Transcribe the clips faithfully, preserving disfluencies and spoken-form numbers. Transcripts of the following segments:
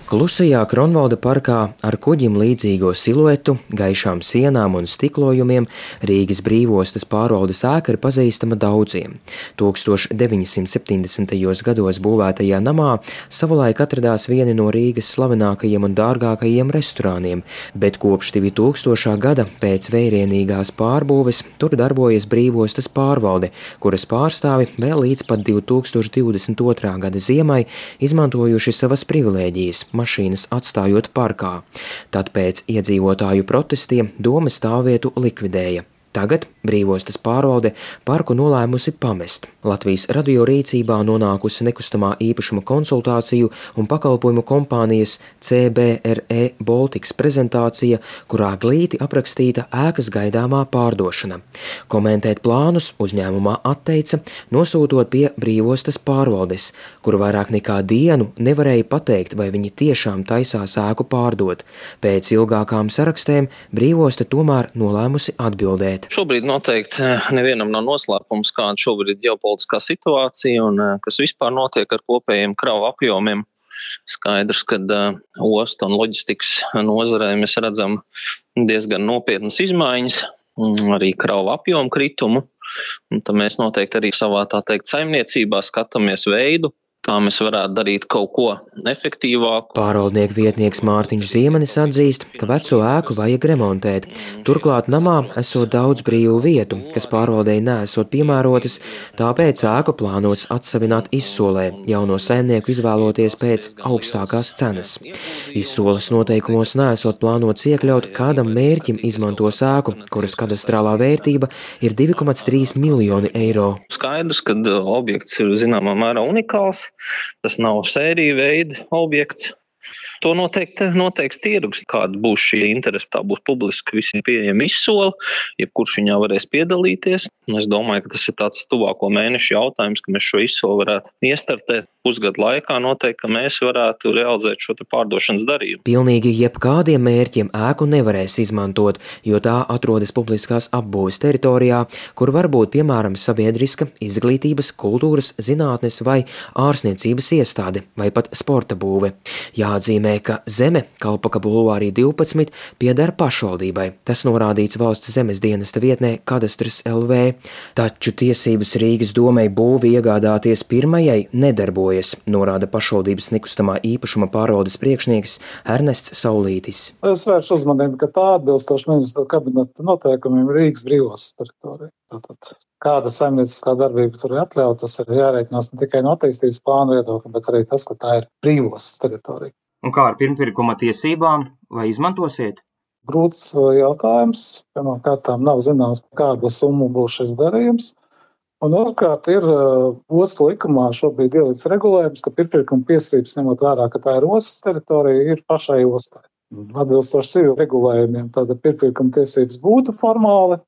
Klusajā Kronvalda parkā ar kuģim līdzīgo siluetu, gaišām sienām un stiklojumiem Rīgas Brīvostas pārvaldes ēka ir pazīstama daudziem. tūkstoš deviņi simti septiņdesmitajos gados būvētajā namā savulaik atradās vieni no Rīgas slavenākajiem un dārgākajiem restorāniem, bet kopš divi tūkstošā gada pēc vērienīgās pārbūves tur darbojas Brīvostas pārvalde, kuras pārstāvi vēl līdz pat divi tūkstoši divdesmit otrā gada ziemai izmantojuši savas privilēģijas, mašīnas atstājot parkā. Tad pēc iedzīvotāju protestiem doma stāvvietu likvidēja. Tagad Brīvostas pārvalde parku nolēmusi pamest. Latvijas radio rīcībā nonākusi nekustamā īpašuma konsultāciju un pakalpojumu kompānijas C B R E Baltics prezentācija, kurā glīti aprakstīta ēkas gaidāmā pārdošana. Komentēt plānus uzņēmumā atteica, nosūtot pie Brīvostas pārvaldes, kur vairāk nekā dienu nevarēja pateikt, vai viņi tiešām taisās ēku pārdot. Pēc ilgākām sarakstēm Brīvosta tomēr nolēmusi atbildēt. Šobrīd noteikti nevienam nav noslēpums, kāda šobrīd ir ģeopolitiskā situācija un kas vispār notiek ar kopējiem kravu apjomiem. Skaidrs, ka uh, ostu un loģistikas nozarē mēs redzam diezgan nopietnas izmaiņas, arī kravu apjomu kritumu. Un tad mēs noteikti arī savā tā teikt saimniecībā skatāmies veidu, kā mēs varētu darīt kaut ko efektīvāku. Pārvaldnieku vietnieks Mārtiņš Ziemenis atzīst, ka veco ēku vajag remontēt. Turklāt namā esot daudz brīvu vietu, kas pārvaldei neesot piemērotas, tāpēc ēku plānots atsavināt izsolē, jauno saimnieku izvēloties pēc augstākās cenas. Izsoles noteikumos neesot plānots iekļaut, kādam mērķim izmantos ēku, kuras kadastrālā vērtība ir divi komats trīs miljoni eiro. Skaidrs, ka objekts ir zināmā mērā unikāls. Tas nav sērija veida objekts. To noteikti noteiks tirgus, kāda būs šī interese. Tā būs publiski visiem pieejama izsole, jebkurš viņā varēs piedalīties. Es domāju, ka tas ir tāds tuvāko mēnešu jautājums, ka mēs šo izsoli varētu iestartēt pusgadu laikā. Noteikti, ka mēs varētu realizēt šo te pārdošanas darījumu. Pilnīgi jebkādiem mērķiem ēku nevarēs izmantot, jo tā atrodas publiskās apbūves teritorijā, kur var būt piemēram sabiedriska, izglītības, kultūras, zinātnes vai ārstniecības iestāde vai pat sporta būve. Jāatzīmē, ka zeme Kalpaka bulvārī divpadsmit pieder pašvaldībai. Tas norādīts valsts zemes dienesta vietnē Kadastrs L V, taču tiesības Rīgas domei būvi iegādāties pirmajai nedarbojas, norāda pašvaldības nekustamā īpašuma pārvaldes priekšnieks Ernests Saulītis. Es vēršu uzmanību, ka tā atbilstoši ministra kabineta noteikumiem Rīgas Brīvostas teritorija. Tātad, kāda saimnieciskā darbība tur ir atļauta, tas ir jārēķinās ne tikai no attīstības plāna viedokļa, bet arī tas, ka tā ir Brīvostas teritorija. Un kā ar pirmpirkuma tiesībām, vai izmantosiet? Grūts jautājums. Pirmkārt, nav zināms, kādu summu būs šis darījums. Un otrkārt, ir ostu likumā šobrīd ielikts regulējums, ka pirmpirkuma tiesības, ņemot vērā, ka tā ir ostas teritorija, ir pašai ostai. Atbilstoši civil regulējumiem, tāda pirmpirkuma tiesības būtu formāli,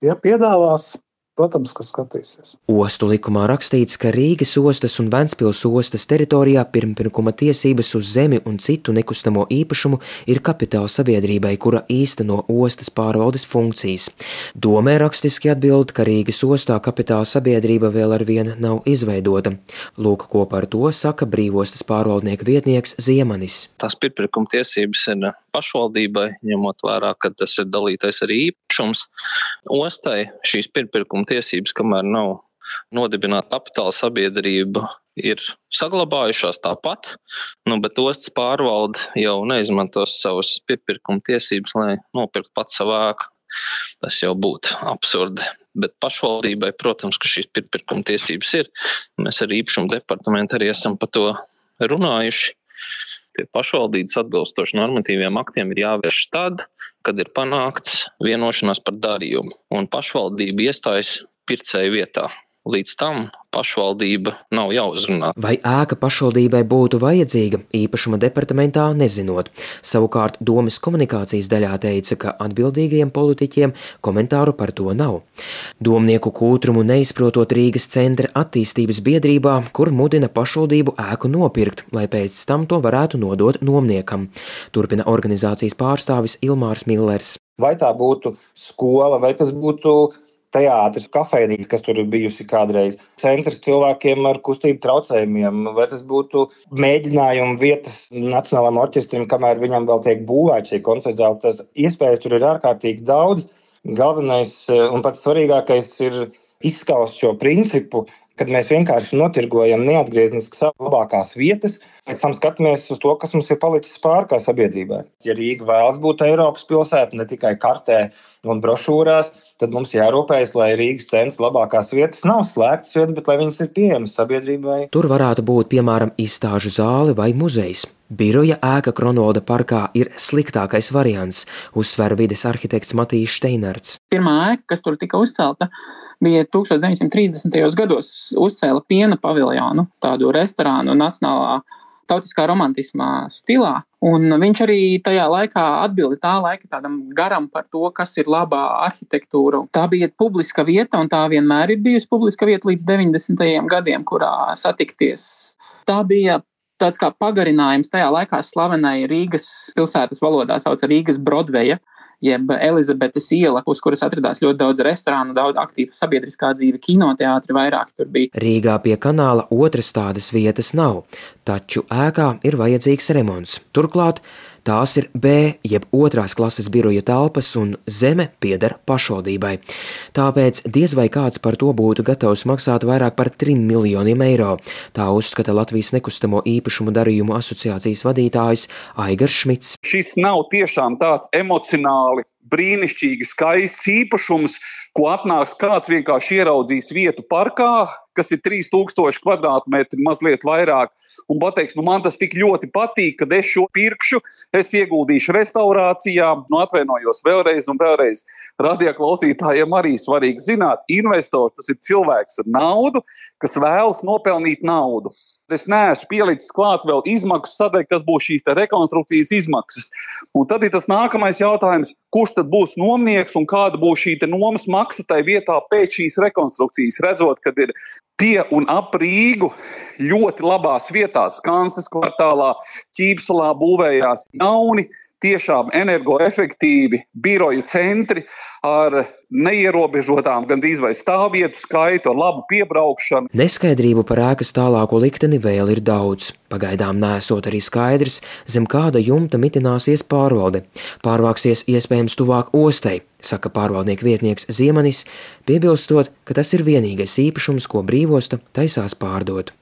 ja piedāvās. Protams, ka skatīsies. Ostu likumā rakstīts, ka Rīgas ostas un Ventspils ostas teritorijā pirmpirkuma tiesības uz zemi un citu nekustamo īpašumu ir kapitāla sabiedrībai, kura īsteno ostas pārvaldes funkcijas. Domē rakstiski atbild, ka Rīgas ostā kapitāla sabiedrība vēl ar vienu nav izveidota. Lūk, ko par to saka Brīvostas pārvaldnieka vietnieks Ziemenis. Tās pirmpirkuma tiesības ir pašvaldībai, ņemot vērā, ka tas ir dalītais arī īpašums. Ostai šīs pirmpirkuma tiesības, kamēr nav nodibināta kapitāla sabiedrība, ir saglabājušās tāpat, nu, bet ostas pārvalde jau neizmantos savas pirmpirkuma tiesības, lai nopirkt pats savu ēku. Tas jau būtu absurdi. Bet pašvaldībai, protams, ka šīs pirmpirkuma tiesības ir. Mēs ar īpašumu departamentu arī esam par to runājuši. Pie pašvaldības atbilstoši normatīviem aktiem ir jāvērš tad, kad ir panākts vienošanās par darījumu, un pašvaldība iestājas pircēju vietā. Līdz tam pašvaldība nav jāuzrunā. Vai ēka pašvaldībai būtu vajadzīga, īpašuma departamentā nezinot. Savukārt domes komunikācijas daļā teica, ka atbildīgajiem politiķiem komentāru par to nav. Domnieku kūtrumu neizprotot Rīgas centra attīstības biedrībā, kur mudina pašvaldību ēku nopirkt, lai pēc tam to varētu nodot nomniekam. Turpina organizācijas pārstāvis Ilmārs Millers. Vai tā būtu skola, vai tas būtu teātris, kafejnīca, kas tur ir bijusi kādreiz, centrs cilvēkiem ar kustību traucējumiem, vai tas būtu mēģinājuma vietas Nacionālajam orķestrim, kamēr viņam vēl tiek būvēta šī koncerta zāle. Tas iespējas tur ir ārkārtīgi daudz. Galvenais un pats svarīgākais ir izskaust šo principu, kad mēs vienkārši notirgojam neatgriezniski savas labākās vietas, pēc tam skatāmies uz to, kas mums ir palicis pār kā sabiedrībai. Ja Rīga vēlas būt Eiropas pilsēta, ne tikai kartē un brošūrās, tad mums jārūpējas, lai Rīgas centra labākās vietas nav slēgtas vietas, bet lai viņas ir pieejamas sabiedrībai. Tur varētu būt, piemēram, izstāžu zāle vai muzejs. Biroja ēka Kronvalda parkā ir sliktākais variants, uzsver vides arhitekts Matijs Steinerts. Pirmā ēka, kas tur tika uzcelta, bija tūkstoš deviņsimt trīsdesmitajos gados uzcēla piena paviljonu, tādu restorānu nacionālā tautiskā romantismā stilā. Un viņš arī tajā laikā atbildi tā laika tādam garam par to, kas ir labā arhitektūra. Tā bija publiska vieta, un tā vienmēr ir bijusi publiska vieta līdz deviņdesmitajiem gadiem, kurā satikties. Tā bija tāds kā pagarinājums tajā laikā slavenai Rīgas pilsētas valodā sauca Rīgas Brodveja, jeb Elizabetes iela, uz kuras atradās ļoti daudz restorānu, daudz aktīva sabiedriskā dzīve, kinoteātri vairāk tur bija. Rīgā pie kanāla otras tādas vietas nav, taču ēkā ir vajadzīgs remonts. Turklāt tās ir B, jeb otrās klases biroja telpas, un zeme pieder pašvaldībai. Tāpēc diez vai kāds par to būtu gatavs maksāt vairāk par trim miljoniem eiro. Tā uzskata Latvijas nekustamo īpašumu darījumu asociācijas vadītājs Aigars Šmits. Šis nav tiešām tāds emocionāli brīnišķīgi skaists īpašums, ko atnāks kāds vienkārši ieraudzīs vietu parkā, kas ir trīs tūkstoši kvadrātmetri, mazliet vairāk, un pateiks, nu man tas tik ļoti patīk, kad es šo pirkšu, es ieguldīšu restaurācijā, nu atvainojos vēlreiz un vēlreiz. Radioklausītājiem arī svarīgi zināt, investors tas ir cilvēks ar naudu, kas vēlas nopelnīt naudu. Es neesmu pielicis klāt vēl izmaksu sadaļu, kas būs šīs rekonstrukcijas izmaksas. Un tad ir tas nākamais jautājums, kurš tad būs nomnieks un kāda būs šī nomas maksa tai vietā pēc šīs rekonstrukcijas. Redzot, kad ir pie un ap Rīgu ļoti labās vietās, Kansnes kvartālā, Ķīpsalā būvējās jauni, tiešām energoefektīvi biroju centri ar neierobežotām gandrīz vai stāvvietu skaitu, ar labu piebraukšanu. Neskaidrību par ēkas tālāko likteni vēl ir daudz. Pagaidām nesot arī skaidrs, zem kāda jumta mitināsies pārvalde. Pārvāksies iespējams tuvāk ostai, saka pārvaldnieku vietnieks Ziemanis, piebilstot, ka tas ir vienīgais īpašums, ko brīvosta taisās pārdot.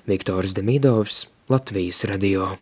Viktors Demidovs, Latvijas radio.